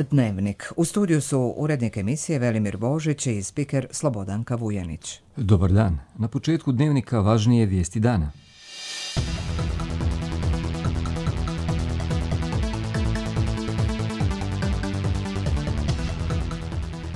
Dnevnik. U studiju su urednik emisije Velimir Božić i spiker Slobodanka Vujanić. Dobar dan. Na početku Dnevnika važnije vijesti dana.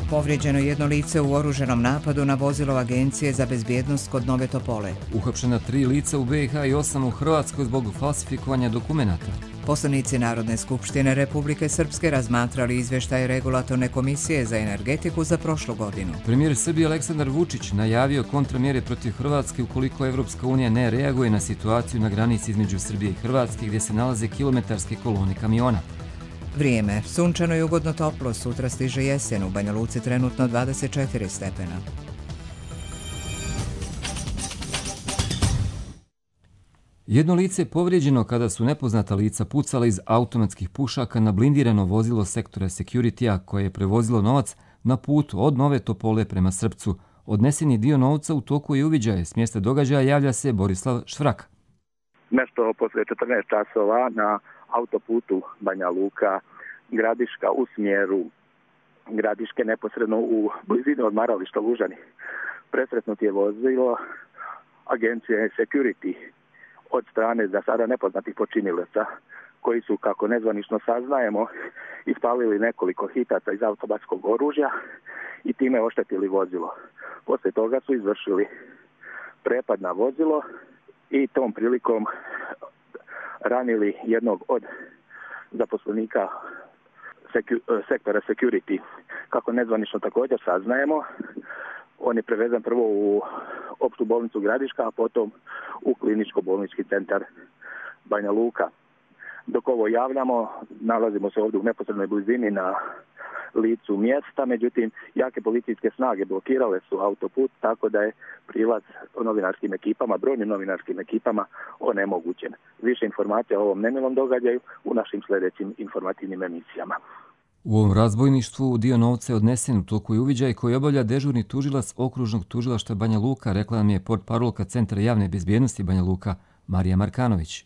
Povrijeđeno jedno lice u oruženom napadu na vozilo Agencije za bezbjednost kod Nove Topole. Uhapšena 3 lica u BiH i 8 u Hrvatskoj zbog falsifikovanja dokumenata. Poslanici Narodne skupštine Republike Srpske razmatrali izvještaj Regulatorne komisije za energetiku za prošlu godinu. Premijer Srbije Aleksandar Vučić najavio kontramjere protiv Hrvatske ukoliko Evropska unija ne reaguje na situaciju na granici između Srbije i Hrvatske gdje se nalaze kilometarske kolone kamiona. Vrijeme. Sunčano i ugodno toplo. Sutra stiže jesen. U Banja Luci trenutno 24 stepena. Jedno lice je povrijeđeno kada su nepoznata lica pucala iz automatskih pušaka na blindirano vozilo sektora Security-a koje je prevozilo novac na putu od Nove Topole prema Srpcu. Odneseni dio novca u toku je uviđaje. S mjesta događaja javlja se Borislav Švrak. Nešto poslije 14 časova na autoputu Banja Luka Gradiška u smjeru Gradiške neposredno u blizini odmarališta Lužani. Presretnut je vozilo Agencije Security od strane za sada nepoznatih počinilaca koji su, kako nezvanično saznajemo, ispalili nekoliko hitaca iz automatskog oružja i time oštetili vozilo. Poslije toga su izvršili prepad na vozilo i tom prilikom ranili jednog od zaposlenika sektora Security. Kako nezvanično također saznajemo, on je prevezen prvo u opštu bolnicu Gradiška, a potom u kliničko-bolnički centar Banja Luka. Dok ovo javljamo, nalazimo se ovdje u neposrednoj blizini na licu mjesta, međutim, jake policijske snage blokirale su autoput, tako da je prilaz novinarskim ekipama, brojnim novinarskim ekipama onemogućen. Više informacija o ovom nemilom događaju u našim sljedećim informativnim emisijama. U ovom razbojništvu dio novca je odnesen u toku i uviđaj koji obavlja dežurni tužilac okružnog tužilaštva Banja Luka, rekla nam je portparolka Centra javne bezbjednosti Banja Luka, Marija Markanović.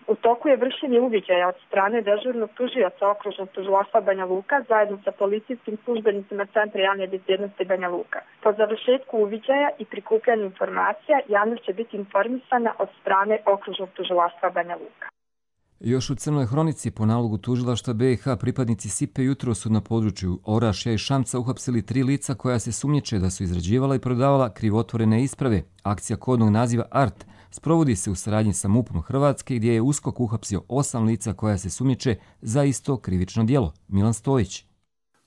U toku je vršenje uviđaja od strane dežurnog tužioca okružnog tužilaštva Banja Luka zajedno sa policijskim službenicima Centra javne bezbjednosti Banja Luka. Po završetku uviđaja i prikupljanju informacija javnost će biti informisana od strane okružnog tužilaštva Banja Luka. Još u Crnoj Hronici po nalogu tužilaštva BiH pripadnici SIPE jutro su na području Orašja i Šamca uhapsili 3 lica koja se sumnjiče da su izrađivala i prodavala krivotvorene isprave. Akcija kodnog naziva ART sprovodi se u saradnji sa MUP-om Hrvatske gdje je USKOK uhapsio 8 lica koja se sumnjiče za isto krivično djelo. Milan Stojić.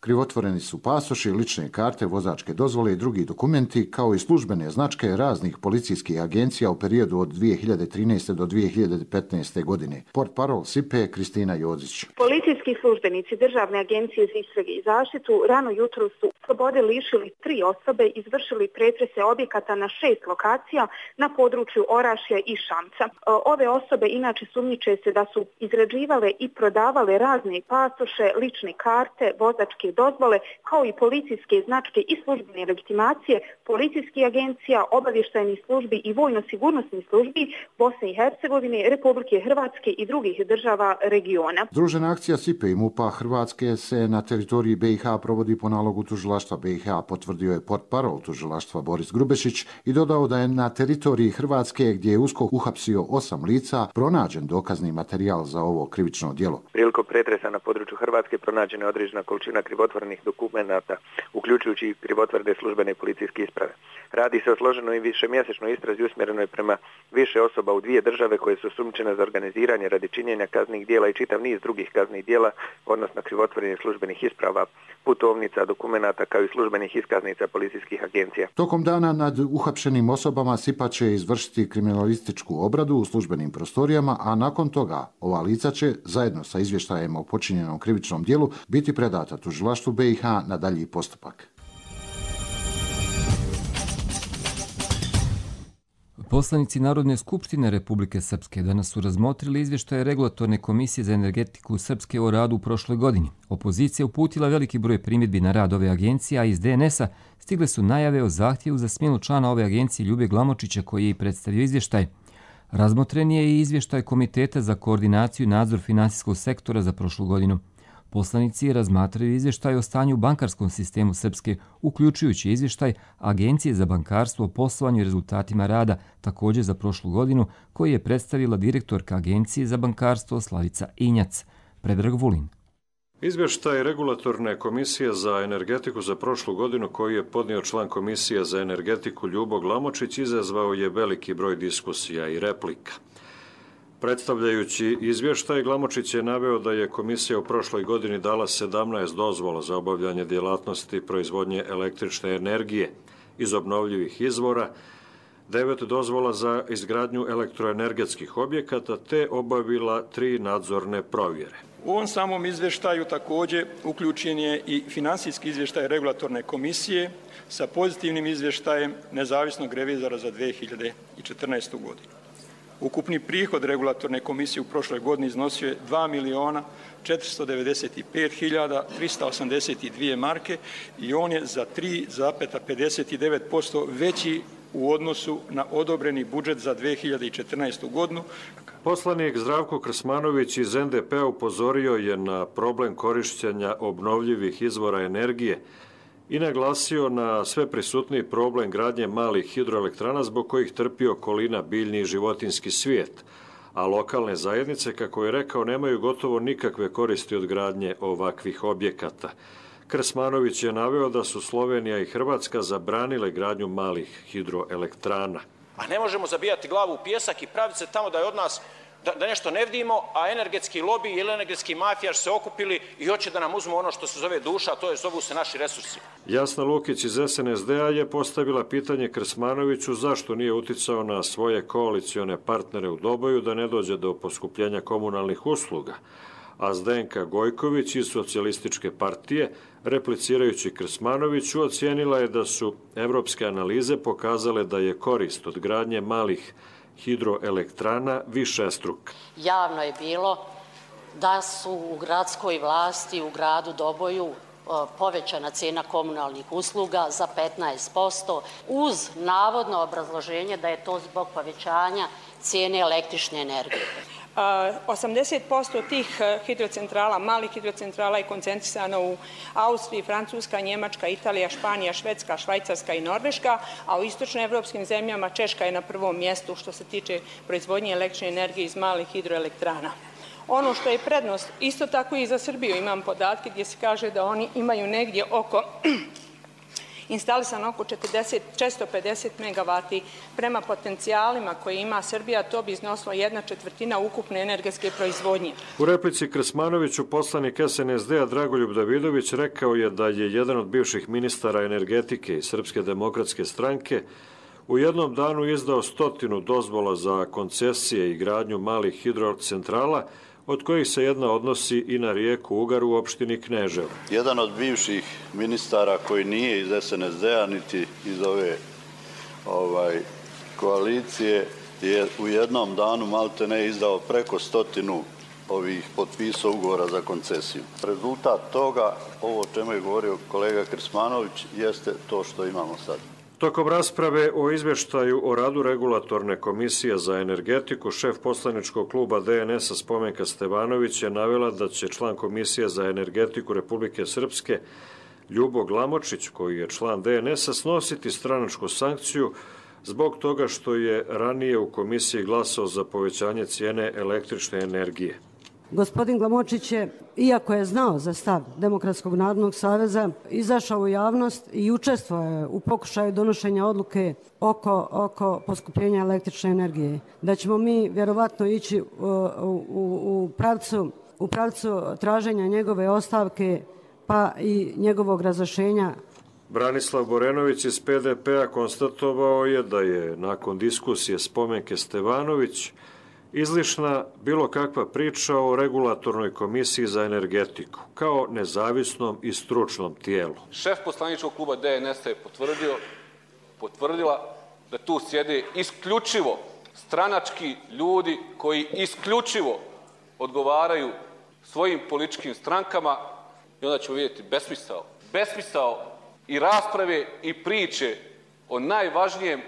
Krivotvoreni su pasoši, lične karte, vozačke dozvole i drugi dokumenti, kao i službene značke raznih policijskih agencija u periodu od 2013. do 2015. godine. Portparol SIPE Kristina Jozić. Policijski službenici Državne agencije za istrage i zaštitu rano jutro su slobode lišili 3 osobe, izvršili pretrese objekata na 6 lokacija na području Orašja i Šamca. Ove osobe inače sumnjiče se da su izrađivale i prodavale razne pasoše, lične karte, vozačke dozvole, kao i policijske značke i službene legitimacije, policijskih agencija, obavještajnih službi i vojno-sigurnosnih službi Bosne i Hercegovine, Republike Hrvatske i drugih država regiona. Združena akcija SIPE i MUP-a Hrvatske se na teritoriji BiH provodi po nalogu tužilaštva BiH, potvrdio je portparol tužilaštva Boris Grubešić i dodao da je na teritoriji Hrvatske, gdje je USKOK uhapsio 8 lica, pronađen dokazni materijal za ovo krivično djelo. Prilikom pretresa na području Hrvatske pronađena je određena količina krivotvorenih dokumenata, uključujući i krivotvorene službene policijske isprave. Radi se o složenoj i višemjesečnoj istrazi usmjerenoj prema više osoba u 2 države koje su osumnjičene za organiziranje radi činjenja kaznenih djela i čitav niz drugih kaznenih djela, odnosno krivotvorenih službenih isprava, putovnica, dokumenata kao i službenih iskaznica policijskih agencija. Tokom dana nad uhapšenim osobama SIPA će izvršiti kriminalističku obradu u službenim prostorijama, a nakon toga ova lica će, zajedno sa izvještajem o počinjenom krivičnom djelu, biti predata tužilaštvu BiH na dalji postupak. Poslanici Narodne skupštine Republike Srpske danas su razmotrili izvještaje Regulatorne komisije za energetiku Srpske o radu u prošloj godini. Opozicija uputila veliki broj primjedbi na rad ove agencije, a iz DNS-a stigle su najave o zahtjevu za smjenu člana ove agencije Ljube Glamočića koji je i predstavio izvještaj. Razmotren je i izvještaj Komiteta za koordinaciju i nadzor finansijskog sektora za prošlu godinu. Poslanici razmatraju izvještaj o stanju u bankarskom sistemu Srpske, uključujući izvještaj Agencije za bankarstvo o poslovanju i rezultatima rada, također za prošlu godinu, koji je predstavila direktorka Agencije za bankarstvo Slavica Injac. Predrag Vulin. Izvještaj Regulatorne komisije za energetiku za prošlu godinu koji je podnio član Komisije za energetiku Ljubo Glamočić izazvao je veliki broj diskusija i replika. Predstavljajući izvještaj, Glamočić je naveo da je komisija u prošloj godini dala 17 dozvola za obavljanje djelatnosti proizvodnje električne energije iz obnovljivih izvora, 9 dozvola za izgradnju elektroenergetskih objekata te obavila 3 nadzorne provjere. U ovom samom izvještaju također uključen je i finansijski izvještaj Regulatorne komisije sa pozitivnim izvještajem nezavisnog revizora za 2014. godinu. Ukupni prihod Regulatorne komisije u prošloj godini iznosio je 2.495.382 marke i on je za 3,59% veći u odnosu na odobreni budžet za 2014. godinu. Poslanik Zdravko Krsmanović iz NDP-a upozorio je na problem korišćenja obnovljivih izvora energije i naglasio na sve prisutniji problem gradnje malih hidroelektrana zbog kojih trpi okolina, biljni i životinjski svijet, a lokalne zajednice, kako je rekao, nemaju gotovo nikakve koristi od gradnje ovakvih objekata. Krsmanović je naveo da su Slovenija i Hrvatska zabranile gradnju malih hidroelektrana. A ne možemo zabijati glavu u pijesak i praviti se tamo da je od nas da nešto ne vidimo, a energetski lobi ili energetski mafijaš se okupili i hoće da nam uzmu ono što se zove duša, a to je zovu se naši resursi. Jasna Lukić iz SNSD-a je postavila pitanje Krsmanoviću zašto nije uticao na svoje koalicione partnere u Doboju da ne dođe do poskupljenja komunalnih usluga. A Zdenka Gojković iz Socijalističke partije, replicirajući Krsmanoviću, ocijenila je da su evropske analize pokazale da je korist od gradnje malih hidroelektrana višestruka. Javno je bilo da su u gradskoj vlasti u gradu Doboju povećana cijena komunalnih usluga za 15% uz navodno obrazloženje da je to zbog povećanja cijene električne energije. 80% tih hidrocentrala, malih hidrocentrala je koncentrisano u Austriji, Francuska, Njemačka, Italija, Španija, Švedska, Švajcarska i Norveška, a u istočnoevropskim zemljama Češka je na prvom mjestu što se tiče proizvodnje električne energije iz malih hidroelektrana. Ono što je prednost, isto tako i za Srbiju, imam podatke gdje se kaže da oni imaju negdje instalisano oko 450 megavati prema potencijalima koje ima Srbija, to bi iznosilo 1/4 ukupne energetske proizvodnje. U replici Krsmanoviću poslanik SNSD-a Dragoljub Davidović rekao je da je jedan od bivših ministara energetike iz Srpske demokratske stranke u jednom danu izdao 100 dozvola za koncesije i gradnju malih hidrocentrala, od kojih se jedna odnosi i na rijeku Ugar u opštini Kneževo. Jedan od bivših ministara koji nije iz SNSD-a niti iz ove koalicije je u jednom danu maltene izdao preko 100 ovih potpisa ugovora za koncesiju. Rezultat toga, ovo o čemu je govorio kolega Krsmanović, jeste to što imamo sad. Tokom rasprave o izvještaju o radu Regulatorne komisije za energetiku, šef poslaničkog kluba DNS-a Spomenka Stevanović je navela da će član Komisije za energetiku Republike Srpske Ljubo Glamočić, koji je član DNS-a, snositi stranačku sankciju zbog toga što je ranije u komisiji glasao za povećanje cijene električne energije. Gospodin Glamočić je, iako je znao za stav Demokratskog narodnog saveza, izašao u javnost i učestvovao u pokušaju donošenja odluke oko poskupljenja električne energije. Da ćemo mi vjerovatno ići u pravcu traženja njegove ostavke pa i njegovog razrješenja. Branislav Borenović iz PDP-a konstatovao je da je nakon diskusije Spomenke Stevanović izlišna bilo kakva priča o Regulatornoj komisiji za energetiku kao nezavisnom i stručnom tijelu. Šef poslaničkog kluba DNS-a je potvrdila da tu sjede isključivo stranački ljudi koji isključivo odgovaraju svojim političkim strankama i onda ćemo vidjeti besmisao i rasprave i priče o najvažnijem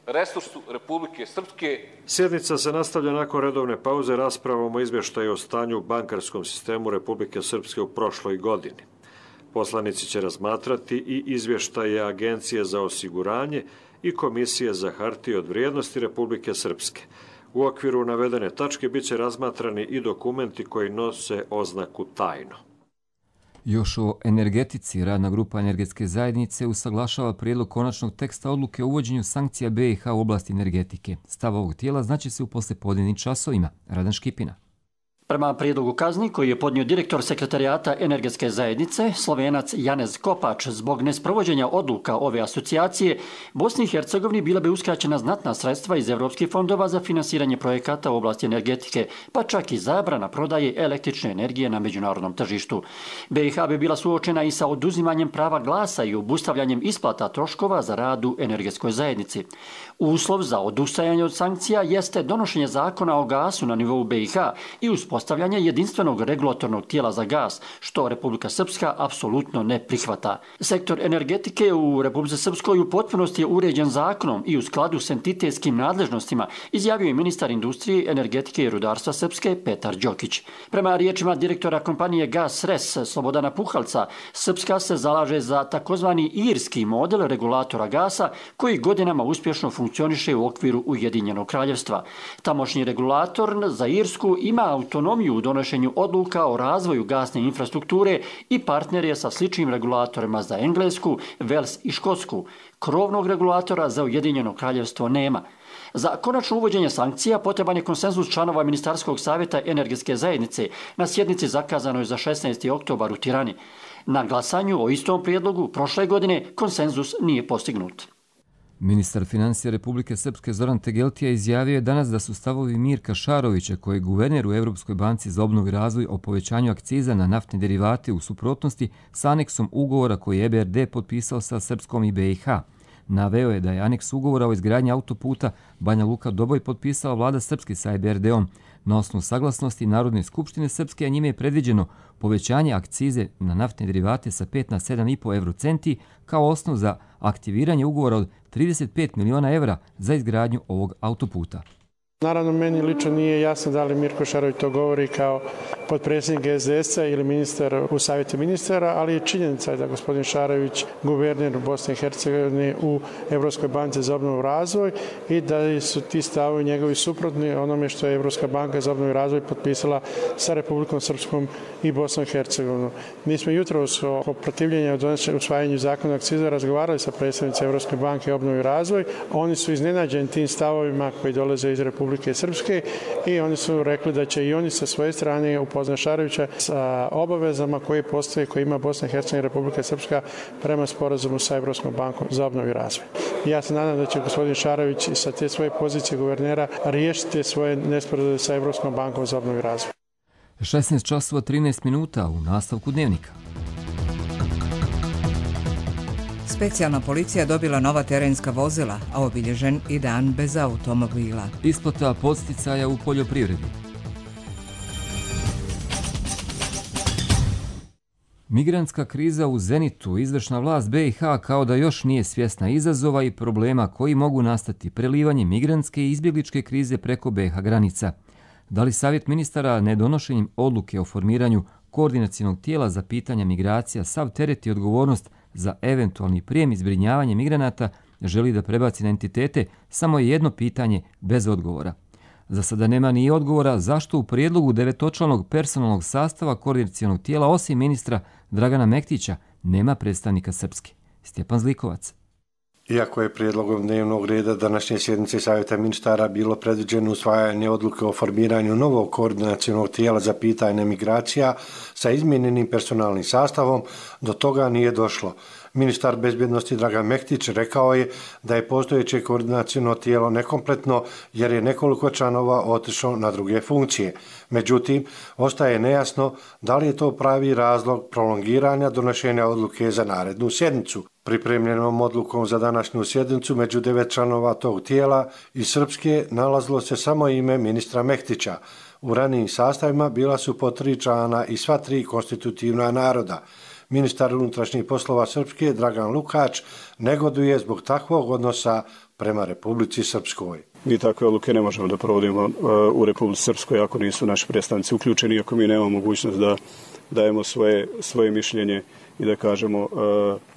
resursu Republike Srpske. Sjednica se nastavlja nakon redovne pauze raspravom o izvještaju o stanju u bankarskom sistemu Republike Srpske u prošloj godini. Poslanici će razmatrati i izvještaje Agencije za osiguranje i Komisije za hartije od vrijednosti Republike Srpske. U okviru navedene tačke bit će razmatrani i dokumenti koji nose oznaku tajno. Još o energetici, radna grupa energetske zajednice usaglašava prijedlog konačnog teksta odluke o uvođenju sankcija BiH u oblasti energetike. Stav ovog tijela znaće se u poslijepodnevnim časovima. Radan Škipina. Prema prijedlogu kazni koji je podnio direktor sekretarijata energetske zajednice, Slovenac Janez Kopač, zbog nesprovođenja odluka ove asocijacije, Bosni i Hercegovini bila bi uskraćena znatna sredstva iz evropskih fondova za finansiranje projekata u oblasti energetike, pa čak i zabrana prodaje električne energije na međunarodnom tržištu. BiH bi bila suočena i sa oduzimanjem prava glasa i obustavljanjem isplata troškova za rad u energetskoj zajednici. Uslov za odustajanje od sankcija jeste donošenje zakona o gasu na nivou BiH i uspostavljanje jedinstvenog regulatornog tijela za gas, što Republika Srpska apsolutno ne prihvata. Sektor energetike u Republici Srpskoj u potpunosti je uređen zakonom i u skladu s entitetskim nadležnostima, izjavio je ministar industrije, energetike i rudarstva Srpske Petar Đokić. Prema riječima direktora kompanije Gas Res Slobodana Puhalca, Srpska se zalaže za takozvani irski model regulatora gasa koji godinama uspješno funkcioniše u okviru Ujedinjenog kraljevstva. Tamošnji regulator za Irsku ima autonomiju u donošenju odluka o razvoju gasne infrastrukture i partner je sa sličnim regulatorima za Englesku, Vels i Škotsku. Krovnog regulatora za Ujedinjeno kraljevstvo nema. Za konačno uvođenje sankcija potreban je konsenzus članova Ministarskog savjeta energetske zajednice na sjednici zakazanoj za 16. oktobar u Tirani. Na glasanju o istom prijedlogu prošle godine konsenzus nije postignut. Ministar financija Republike Srpske Zoran Tegeltija izjavio je danas da su stavovi Mirka Šarovića, koji je guverner u Europskoj banci za obnovu i razvoj o povećanju akciza na naftne derivate u suprotnosti s aneksom ugovora koji je EBRD potpisao sa Srpskom i BiH. Naveo je da je aneks ugovora o izgradnji autoputa Banja Luka-Doboj potpisala vlada Srpske sa EBRD-om. Na osnovu saglasnosti Narodne skupštine Srpske, a njime je predviđeno povećanje akcize na naftne derivate sa 5 na 7,5 eurocenti kao osnov za aktiviranje ugovora od 35 miliona evra za izgradnju ovog autoputa. Naravno, meni lično nije jasno da li Mirko Šarović to govori kao potpredsjednik SDS-a ili ministar u savjetu ministara, ali je činjenica da gospodin Šarović, guverner Bosne i Hercegovine u Evropskoj banci za obnovu i razvoj i da su ti stavovi njegovi suprotni onome što je Evropska banka za obnovu i razvoj potpisala sa Republikom Srpskom i Bosnom i Hercegovinom. Mi smo jutros o protivljenju usvajanju zakona akciza razgovarali sa predstavnicima Evropske banke obnovu i razvoj. Oni su iznenađeni tim stavovima koji dolaze iz Republike Srpske i oni su rekli da će i oni sa svoje strane upoznati Šarovića sa obavezama koje postoje, koje ima Bosna i Hercegovina i Republika Srpska prema sporazumu sa Evropskom bankom za obnovu i razvoj. Ja se nadam da će gospodin Šarović sa te svoje pozicije guvernera riješiti svoje nesporazume sa Evropskom bankom za obnovu i razvoj. 16 časova 13 minuta u nastavku dnevnika. Specijalna policija dobila nova terenska vozila, a obilježen i dan bez automobila. Isplata podsticaja u poljoprivredi. Migrantska kriza u zenitu, izvršna vlast BiH kao da još nije svjesna izazova i problema koji mogu nastati prelivanjem migrantske i izbjegličke krize preko BiH granica. Da li savjet ministara nedonošenjem odluke o formiranju koordinacionog tijela za pitanja migracija sav teret i odgovornost za eventualni prijem i zbrinjavanje migranata želi da prebaci na entitete, samo je jedno pitanje bez odgovora. Za sada nema ni odgovora zašto u prijedlogu 9-članog personalnog sastava koordinacionog tijela osim ministra Dragana Mektića nema predstavnika Srpske. Stjepan Zlikovac. Iako je prijedlogom dnevnog reda današnje sjednice Savjeta ministara bilo predviđeno usvajanje odluke o formiranju novog koordinacionog tijela za pitanje migracija sa izmijenjenim personalnim sastavom, do toga nije došlo. Ministar bezbjednosti Dragan Mektić rekao je da je postojeće koordinaciono tijelo nekompletno jer je nekoliko članova otišlo na druge funkcije. Međutim, ostaje nejasno da li je to pravi razlog prolongiranja donošenja odluke za narednu sjednicu. Pripremljenom odlukom za današnju sjednicu među 9 članova tog tijela iz Srpske nalazilo se samo ime ministra Mektića. U ranijim sastavima bila su po 3 člana i sva 3 konstitutivna naroda. Ministar unutrašnjih poslova Srpske Dragan Lukač negoduje zbog takvog odnosa prema Republici Srpskoj. Mi takve odluke ne možemo da provodimo u Republici Srpskoj ako nisu naši predstavnici uključeni, ako mi nemamo mogućnost da dajemo svoje mišljenje i da kažemo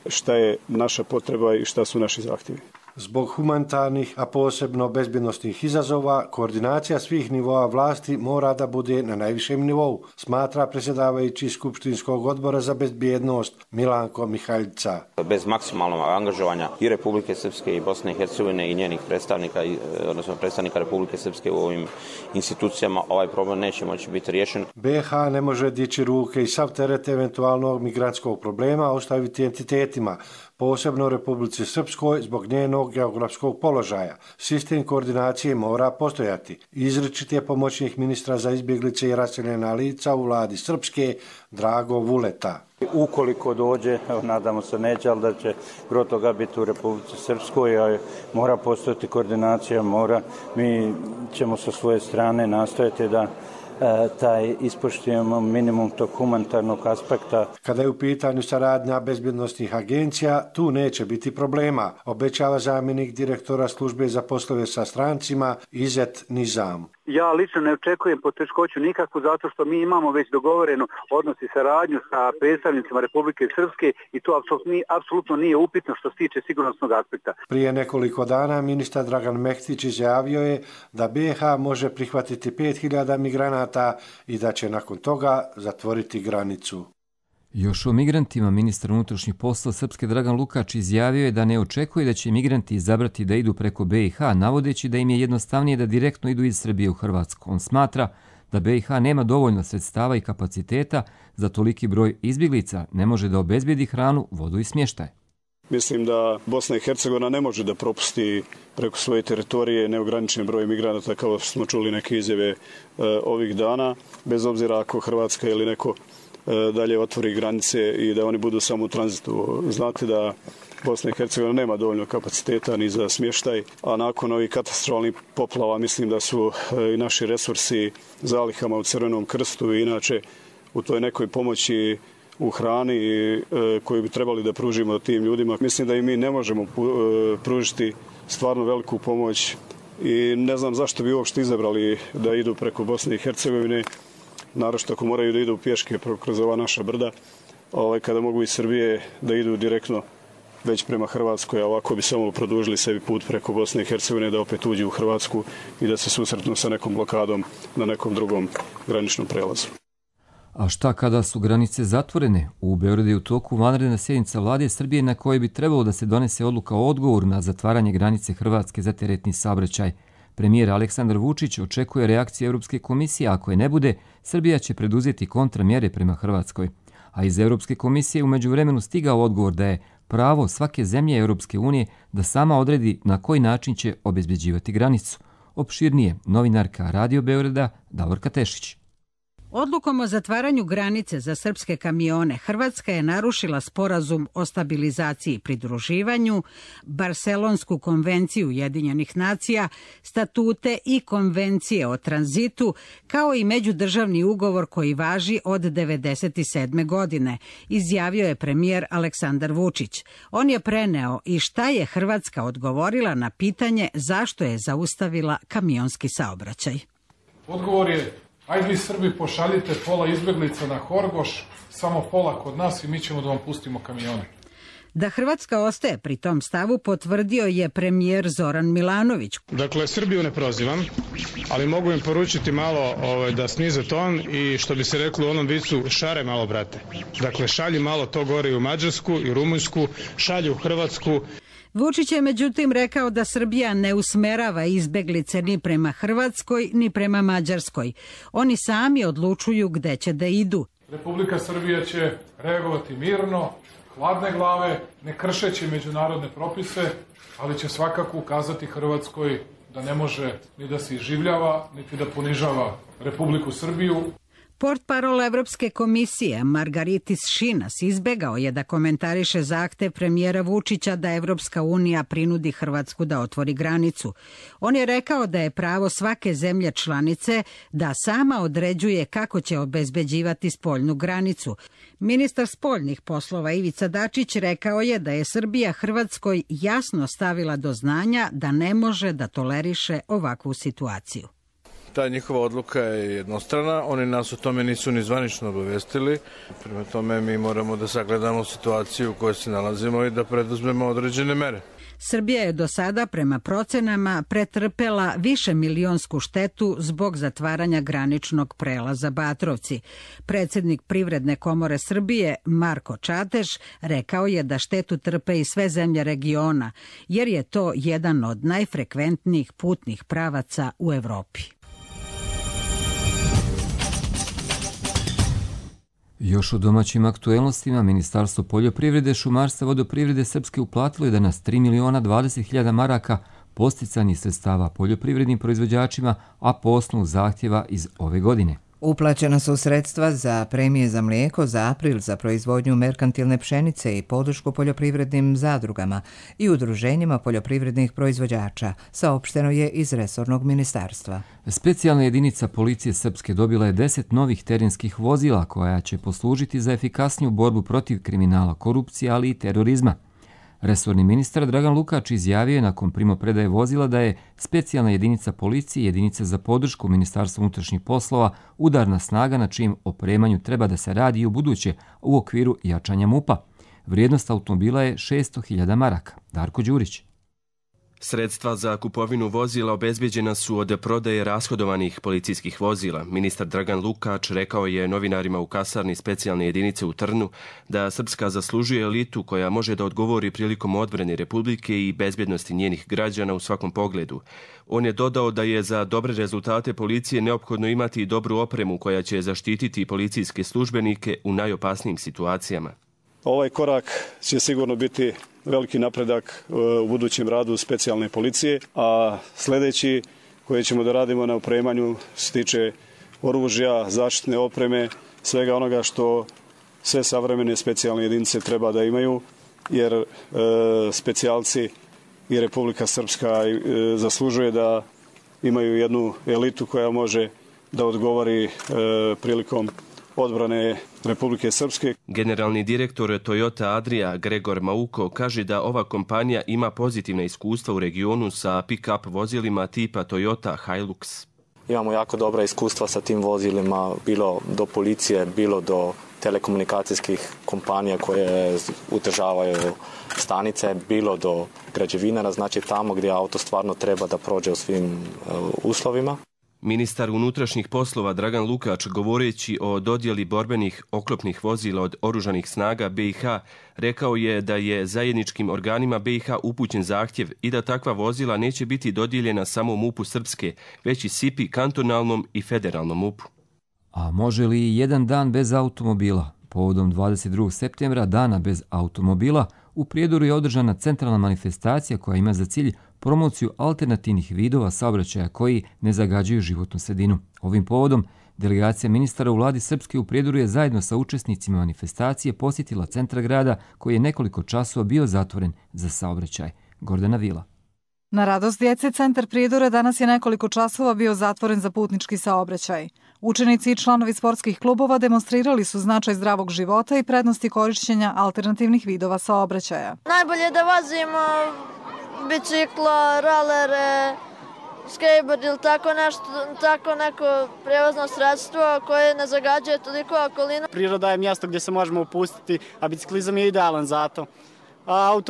šta je naša potreba i šta su naši zahtjevi. Zbog humanitarnih, a posebno bezbjednosnih izazova, koordinacija svih nivoa vlasti mora da bude na najvišem nivou, smatra predsjedavajući Skupštinskog odbora za bezbjednost Milanko Mihaljica. Bez maksimalnog angažovanja i Republike Srpske i Bosne i Hercegovine i njenih predstavnika, odnosno predstavnika Republike Srpske u ovim institucijama, ovaj problem neće moći biti riješen. BiH ne može dići ruke i sav teret eventualnog migrantskog problema ostaviti entitetima, posebno Republici Srpskoj zbog njenog geografskog položaja. Sistem koordinacije mora postojati. Izričit je pomoćnik ministra za izbjeglice i raseljena lica u vladi Srpske Drago Vuleta. Ukoliko dođe, nadamo se neće, ali da će gro toga biti u Republici Srpskoj, mora postojati koordinacija, mi ćemo sa svoje strane nastojati da taj ispoštujemo minimum tog humanitarnog aspekta. Kada je u pitanju saradnja bezbjednosnih agencija, tu neće biti problema, obećava zamjenik direktora službe za poslove sa strancima Izet Nizam. Ja lično ne očekujem poteškoću nikakvu zato što mi imamo već dogovorenu odnos i saradnju sa predstavnicima Republike Srpske i to apsolutno nije upitno što se tiče sigurnosnog aspekta. Prije nekoliko dana ministar Dragan Mehtić izjavio je da BiH može prihvatiti 5000 migranata i da će nakon toga zatvoriti granicu. Još o migrantima ministar unutrašnjih poslova Srpske Dragan Lukač izjavio je da ne očekuje da će migranti izabrati da idu preko BiH, navodeći da im je jednostavnije da direktno idu iz Srbije u Hrvatsku. On smatra da BiH nema dovoljno sredstava i kapaciteta za toliki broj izbjeglica, ne može da obezbijedi hranu, vodu i smještaj. Mislim da Bosna i Hercegovina ne može da propusti preko svoje teritorije neograničen broj migranata, kao smo čuli neke izjave ovih dana, bez obzira ako Hrvatska ili neko dalje otvori granice i da oni budu samo u tranzitu. Znate da Bosna i Hercegovina nema dovoljno kapaciteta ni za smještaj, a nakon ovih katastrofalnih poplava mislim da su i naši resursi zalihama u Crvenom krstu i inače u toj nekoj pomoći u hrani koju bi trebali da pružimo tim ljudima. Mislim da i mi ne možemo pružiti stvarno veliku pomoć i ne znam zašto bi uopšte izabrali da idu preko Bosne i Hercegovine, naročito ako moraju da idu pješke kroz ova naša brda, kada mogu iz Srbije da idu direktno već prema Hrvatskoj, a ovako bi samo produžili sebi put preko Bosne i Hercegovine da opet uđu u Hrvatsku i da se susretnu sa nekom blokadom na nekom drugom graničnom prelazu. A šta kada su granice zatvorene? U Beogradu je u toku vanredna sjednica vlade Srbije na kojoj bi trebalo da se donese odluka o odgovoru na zatvaranje granice Hrvatske za teretni saobraćaj. Premijer Aleksandar Vučić očekuje reakciju Europske komisije, a ako je ne bude, Srbija će preduzeti kontramjere prema Hrvatskoj. A iz Europske komisije u međuvremenu stigao odgovor da je pravo svake zemlje Europske unije da sama odredi na koji način će obezbeđivati granicu. Opširnije, novinarka Radio Beograda Davorka Tešić. Odlukom o zatvaranju granice za srpske kamione, Hrvatska je narušila sporazum o stabilizaciji i pridruživanju, Barselonsku konvenciju Ujedinjenih nacija, statute i konvencije o tranzitu, kao i međudržavni ugovor koji važi od 1997. godine, izjavio je premijer Aleksandar Vučić. On je preneo i šta je Hrvatska odgovorila na pitanje zašto je zaustavila kamionski saobraćaj. Odgovor je: ajde vi Srbi pošaljite pola izbjeglica na Horgoš, samo pola kod nas i mi ćemo da vam pustimo kamione. Da Hrvatska ostaje pri tom stavu potvrdio je premijer Zoran Milanović. Dakle, Srbiju ne prozivam, ali mogu im poručiti malo da snize ton i što bi se reklo u onom vicu, šare malo brate. Dakle, šalji malo to gore i u Mađarsku i Rumunjsku, šalju u Hrvatsku. Vučić je međutim rekao da Srbija ne usmerava izbeglice ni prema Hrvatskoj ni prema Mađarskoj. Oni sami odlučuju gde će da idu. Republika Srbija će reagovati mirno, hladne glave, ne kršeći međunarodne propise, ali će svakako ukazati Hrvatskoj da ne može ni da se iživljava, niti da ponižava Republiku Srbiju. Portparol Evropske komisije Margaritis Šinas izbegao je da komentariše zahtev premijera Vučića da Evropska unija prinudi Hrvatsku da otvori granicu. On je rekao da je pravo svake zemlje članice da sama određuje kako će obezbeđivati spoljnu granicu. Ministar spoljnih poslova Ivica Dačić rekao je da je Srbija Hrvatskoj jasno stavila do znanja da ne može da toleriše ovakvu situaciju. Ta njihova odluka je jednostrana, oni nas o tome nisu ni zvanično obavestili, prema tome mi moramo da sagledamo situaciju u kojoj se nalazimo i da preduzmemo određene mere. Srbija je do sada prema procenama pretrpela višemilionsku štetu zbog zatvaranja graničnog prelaza Batrovci. Predsjednik Privredne komore Srbije Marko Čateš rekao je da štetu trpe i sve zemlje regiona, jer je to jedan od najfrekventnijih putnih pravaca u Evropi. Još u domaćim aktuelnostima, Ministarstvo poljoprivrede, šumarstva i vodoprivrede Srpske uplatilo je danas 3.020.000 maraka posticanih sredstava poljoprivrednim proizvođačima, a po osnovu zahtjeva iz ove godine. Uplaćena su sredstva za premije za mlijeko za april za proizvodnju merkantilne pšenice i podršku poljoprivrednim zadrugama i udruženjima poljoprivrednih proizvođača, saopšteno je iz resornog ministarstva. Specijalna jedinica policije Srpske dobila je 10 novih terenskih vozila koja će poslužiti za efikasniju borbu protiv kriminala, korupcije, ali i terorizma. Resorni ministar Dragan Lukač izjavio je nakon primopredaje vozila da je specijalna jedinica policije i jedinica za podršku Ministarstva unutrašnjih poslova udarna snaga na čijem opremanju treba da se radi i u buduće u okviru jačanja MUP-a. Vrijednost automobila je 600.000 maraka. Darko Đurić. Sredstva za kupovinu vozila obezbeđena su od prodaje rashodovanih policijskih vozila. Ministar Dragan Lukač rekao je novinarima u kasarni specijalne jedinice u Trnu da Srpska zaslužuje elitu koja može da odgovori prilikom odbrane Republike i bezbjednosti njenih građana u svakom pogledu. On je dodao da je za dobre rezultate policije neophodno imati dobru opremu koja će zaštititi policijske službenike u najopasnijim situacijama. Ovaj korak će sigurno biti veliki napredak u budućem radu specijalne policije, a sljedeći koje ćemo da radimo na opremanju se tiče oružja, zaštitne opreme, svega onoga što sve savremene specijalne jedinice treba da imaju, jer specijalci i Republika Srpska zaslužuje da imaju jednu elitu koja može da odgovori prilikom odbrane Republike Srpske. Generalni direktor Toyota Adria Gregor Mauko kaže da ova kompanija ima pozitivna iskustva u regionu sa pick-up vozilima tipa Toyota Hilux. Imamo jako dobra iskustva sa tim vozilima, bilo do policije, bilo do telekomunikacijskih kompanija koje udržavaju stanice, bilo do građevinara, znači tamo gdje auto stvarno treba da prođe u svim uslovima. Ministar unutrašnjih poslova Dragan Lukač, govoreći o dodjeli borbenih oklopnih vozila od oružanih snaga BiH, rekao je da je zajedničkim organima BiH upućen zahtjev i da takva vozila neće biti dodijeljena samo MUP-u Srpske, već i SIPI, kantonalnom i federalnom MUP-u. A može li jedan dan bez automobila? Povodom 22. septembra, dana bez automobila, u Prijedoru je održana centralna manifestacija koja ima za cilj promociju alternativnih vidova saobraćaja koji ne zagađuju životnu sredinu. Ovim povodom, delegacija ministara u vladi Srpske u Prijedoru je zajedno sa učesnicima manifestacije posjetila centar grada koji je nekoliko časova bio zatvoren za saobraćaj. Gordana Vila. Na radost djece, centar Prijedora danas je nekoliko časova bio zatvoren za putnički saobraćaj. Učenici i članovi sportskih klubova demonstrirali su značaj zdravog života i prednosti korišćenja alternativnih vidova saobraćaja. Najbolje je da vozimo bicikla, rolere, skateboard ili tako neko prevozno sredstvo koje ne zagađuje toliko okolinu. Priroda je mjesto gdje se možemo opustiti, a biciklizam je idealan za to. A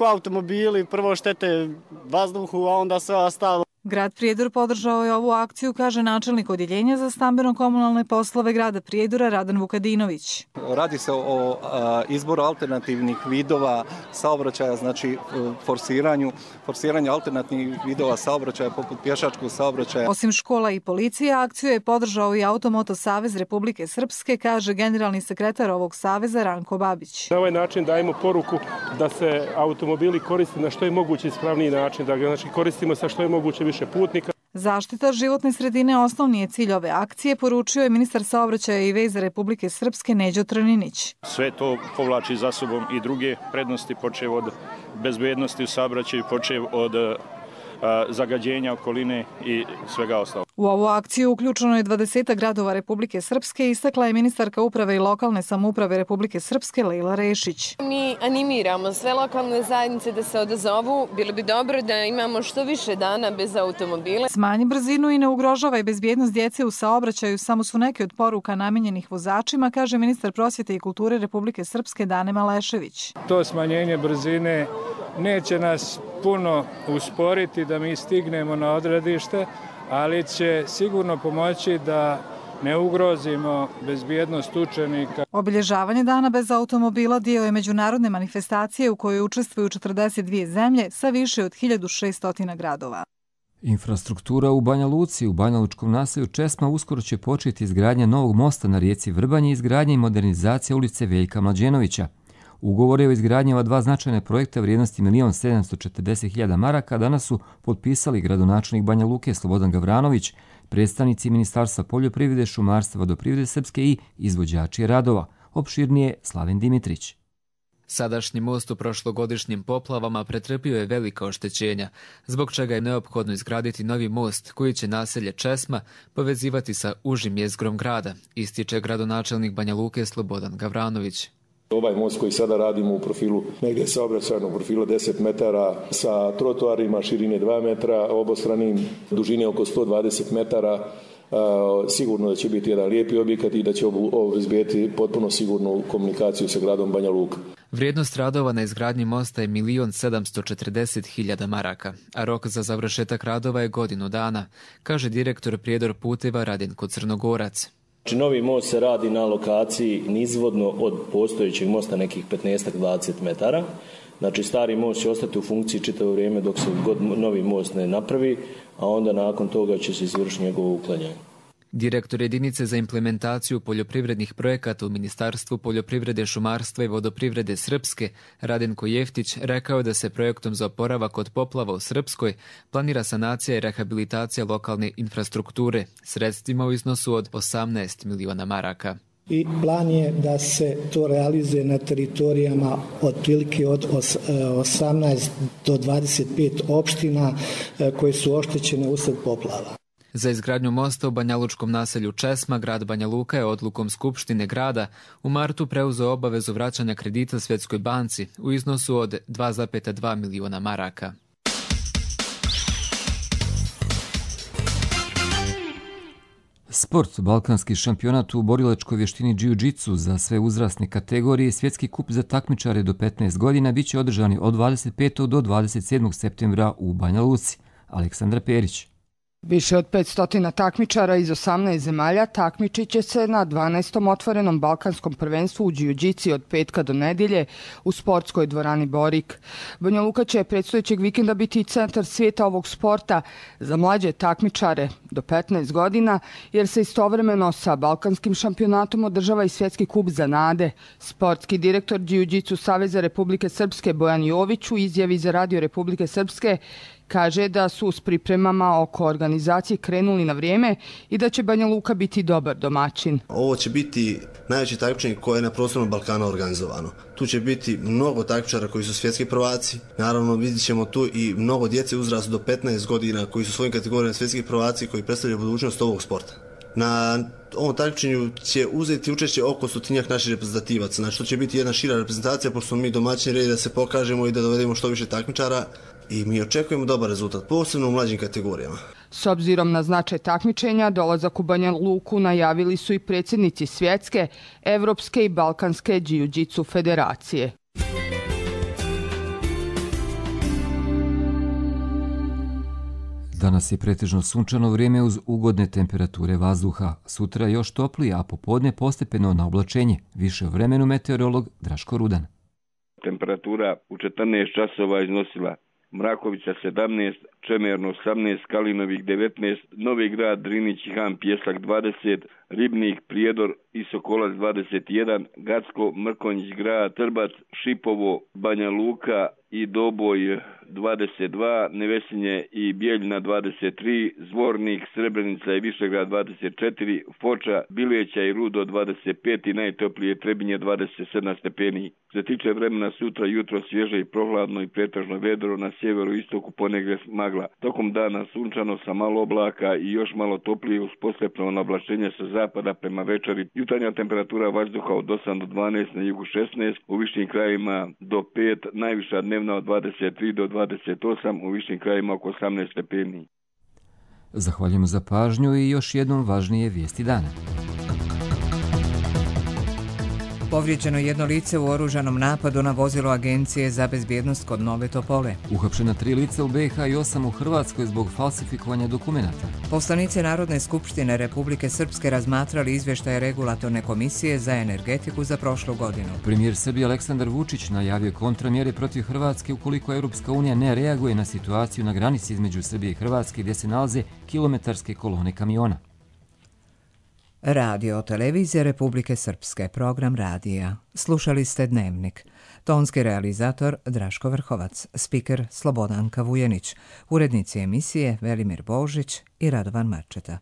automobili prvo štete vazduhu, a onda sve ostalo. Grad Prijedor podržao je ovu akciju, kaže načelnik odjeljenja za stambeno-komunalne poslove grada Prijedora Radan Vukadinović. Radi se o izboru alternativnih vidova saobraćaja, znači forsiranju alternativnih vidova saobraćaja poput pješačkog saobraćaja. Osim škola i policije, akciju je podržao i Automoto savez Republike Srpske, kaže generalni sekretar ovog saveza Ranko Babić. Na ovaj način dajemo poruku da se automobili koriste na što je moguće ispravniji način, da ga koristimo sa što je moguće više putnika. Zaštita životne sredine osnovni je cilj ove akcije, poručio je ministar saobraćaja i veza Republike Srpske Neđo Trninić. Sve to povlači za sobom i druge prednosti, počev od bezbednosti u saobraćaju, počev od zagađenja okoline i svega ostalog. U ovu akciju uključeno je 20 gradova Republike Srpske, istakla je ministarka uprave i lokalne samouprave Republike Srpske Lejla Rešić. Mi animiramo sve lokalne zajednice da se odazovu. Bilo bi dobro da imamo što više dana bez automobila. Smanji brzinu i ne ugrožavaj bezbjednost djece u saobraćaju samo su neke od poruka namijenjenih vozačima, kaže ministar prosvjete i kulture Republike Srpske Dane Malešević. To smanjenje brzine neće nas puno usporiti da mi stignemo na odredište, ali će sigurno pomoći da ne ugrozimo bezbjednost učenika. Obilježavanje dana bez automobila dio je međunarodne manifestacije u kojoj učestvuju 42 zemlje sa više od 1600 gradova. Infrastruktura u Banja Luci, u banjalučkom naselju Česma uskoro će početi izgradnja novog mosta na rijeci Vrbanje i izgradnja i modernizacija ulice Veljka Mlađenovića. Ugovore o izgradnji ova dva značajne projekta vrijednosti 1.740.000 maraka danas su potpisali gradonačelnik Banja Luke Slobodan Gavranović, predstavnici Ministarstva poljoprivrede, šumarstva, vodoprivrede Srpske i izvođači radova. Opširnije Slaven Dimitrić. Sadašnji most u prošlogodišnjim poplavama pretrpio je velika oštećenja, zbog čega je neophodno izgraditi novi most koji će naselje Česma povezivati sa užim jezgrom grada, ističe gradonačelnik Banja Luke Slobodan Gavranović. Ovaj most koji sada radimo u profilu negdje saobraćajnog profila 10 metara sa trotoarima širine 2 metra, obostranim dužine oko 120 metara, sigurno da će biti jedan lijepi objekat i da će obezbijeti potpuno sigurnu komunikaciju sa gradom Banja Luka. Vrijednost radova na izgradnji mosta je 1.740.000 maraka, a rok za završetak radova je godinu dana, kaže direktor Prijedor puteva Radenko Crnogorac. Znači, novi most se radi na lokaciji nizvodno od postojećeg mosta nekih 15-20 metara. Znači, stari most će ostati u funkciji čitavo vrijeme dok se novi most ne napravi, a onda nakon toga će se izvršiti njegovo uklanjanje. Direktor jedinice za implementaciju poljoprivrednih projekata u Ministarstvu poljoprivrede, šumarstva i vodoprivrede Srpske, Radenko Jeftić, rekao je da se projektom za oporavak od poplava u Srpskoj planira sanacija i rehabilitacija lokalne infrastrukture, sredstvima u iznosu od 18 miliona maraka. I plan je da se to realizuje na teritorijama otprilike od 18 do 25 opština koje su oštećene usled poplava. Za izgradnju mosta u banjalučkom naselju Česma, grad Banja Luka je odlukom Skupštine grada u martu preuzeo obavezu vraćanja kredita Svjetskoj banci u iznosu od 2,2 miliona maraka. Sport, balkanski šampionat u borilačkoj vještini jiu-jitsu za sve uzrasne kategorije i svjetski kup za takmičare do 15 godina bit će održani od 25. do 27. septembra u Banja Luci. Aleksandra Perić. Više od 500 takmičara iz 18 zemalja takmičit će se na 12. otvorenom balkanskom prvenstvu u jiu-jitsu od petka do nedjelje u sportskoj dvorani Borik. Banja Luka će predstojećeg vikenda biti centar svijeta ovog sporta za mlađe takmičare do 15 godina, jer se istovremeno sa balkanskim šampionatom održava i svjetski kup za mlade. Sportski direktor Jiu-Jitsu Saveza Republike Srpske Bojan Jović u izjavi za Radio Republike Srpske kaže da su s pripremama oko organizacije krenuli na vrijeme i da će Banja Luka biti dobar domaćin. Ovo će biti najveći takmičenje koje je na prostoru Balkana organizovano. Tu će biti mnogo takmičara koji su svjetski prvaci. Naravno, vidjet ćemo tu i mnogo djece uzrastu do 15 godina koji su svojim kategorijama svjetski prvaci koji predstavljaju budućnost ovog sporta. Na ovom takmičenju će uzeti učešće oko 100 naših reprezentativaca. Znači, to će biti jedna šira reprezentacija, pošto smo mi domaćini redi da se pokažemo i da dovedemo što više takmičara. I mi očekujemo dobar rezultat, posebno u mlađim kategorijama. S obzirom na značaj takmičenja, dolazak u Banja Luku najavili su i predsjednici Svjetske, Evropske i Balkanske jiu-jitsu federacije. Danas je pretežno sunčano vrijeme uz ugodne temperature vazduha. Sutra još toplije, a popodne postepeno na oblačenje. Više o vremenu meteorolog Draško Rudan. Temperatura u 14 časova iznosila Mrakovica 17, Čemerno 18, Kalinovik 19, Novi Grad, Drinić i Han Pjesak 20, Ribnik, Prijedor i Sokolac 21, Gacko, Mrkonjić grad, Trbac, Šipovo, Banja Luka i Doboj 22, Nevesinje i Bijeljina 23, Zvornik, Srebrenica i Višegrad 24, Foča, Bileća i Rudo 25 i najtoplije Trebinje 27 stepeni. Što se tiče vremena sutra, jutro svježe i prohladno i pretežno vedro, na sjeveru i istoku ponegdje magla. Tokom dana sunčano sa malo oblaka i još malo toplije uz poslijepno nablašenje sa zapada prema večeri. Jutarnja temperatura vazduha od 8 do 12, na jugu 16, u višim krajevima do 5, najviša dnevna od 23 do 28, u višim krajevima oko 18 stepeni. Zahvaljujem za pažnju i još jednom važnije vijesti dana. Povrijeđeno jedno lice u oružanom napadu na vozilo Agencije za bezbjednost kod Nove Topole. Uhapšena 3 lica u BiH i 8 u Hrvatskoj zbog falsifikovanja dokumenata. Poslanici Narodne skupštine Republike Srpske razmatrali izvještaje Regulatorne komisije za energetiku za prošlu godinu. Premijer Srbije Aleksandar Vučić najavio kontramjere protiv Hrvatske ukoliko Europska unija ne reaguje na situaciju na granici između Srbije i Hrvatske gdje se nalaze kilometarske kolone kamiona. Radio televizija Republike Srpske, program radija. Slušali ste Dnevnik. Tonski realizator Draško Vrhovac, spiker Slobodanka Vujenić, urednici emisije Velimir Božić i Radovan Marčeta.